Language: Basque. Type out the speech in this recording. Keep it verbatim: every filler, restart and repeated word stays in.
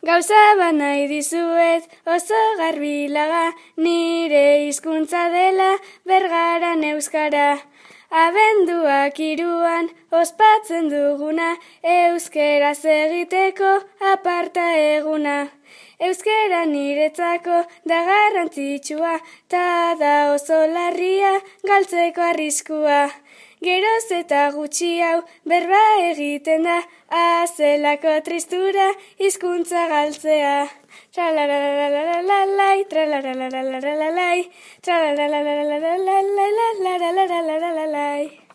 Gauza bat nahi dizuet oso garbilaga, nire hizkuntza dela Bergaran euskara. Abenduak hiruan ospatzen duguna, euskeraz egiteko aparta eguna. Euskera niretzako da garrantzitsua, ta da oso larria galtzeko arriskua. Geroz eta gutxi hau berba egiten da, azelako tristura hizkuntza galtzea. Tralalalalalalai, tralalalalalalai, tralalalalalalai.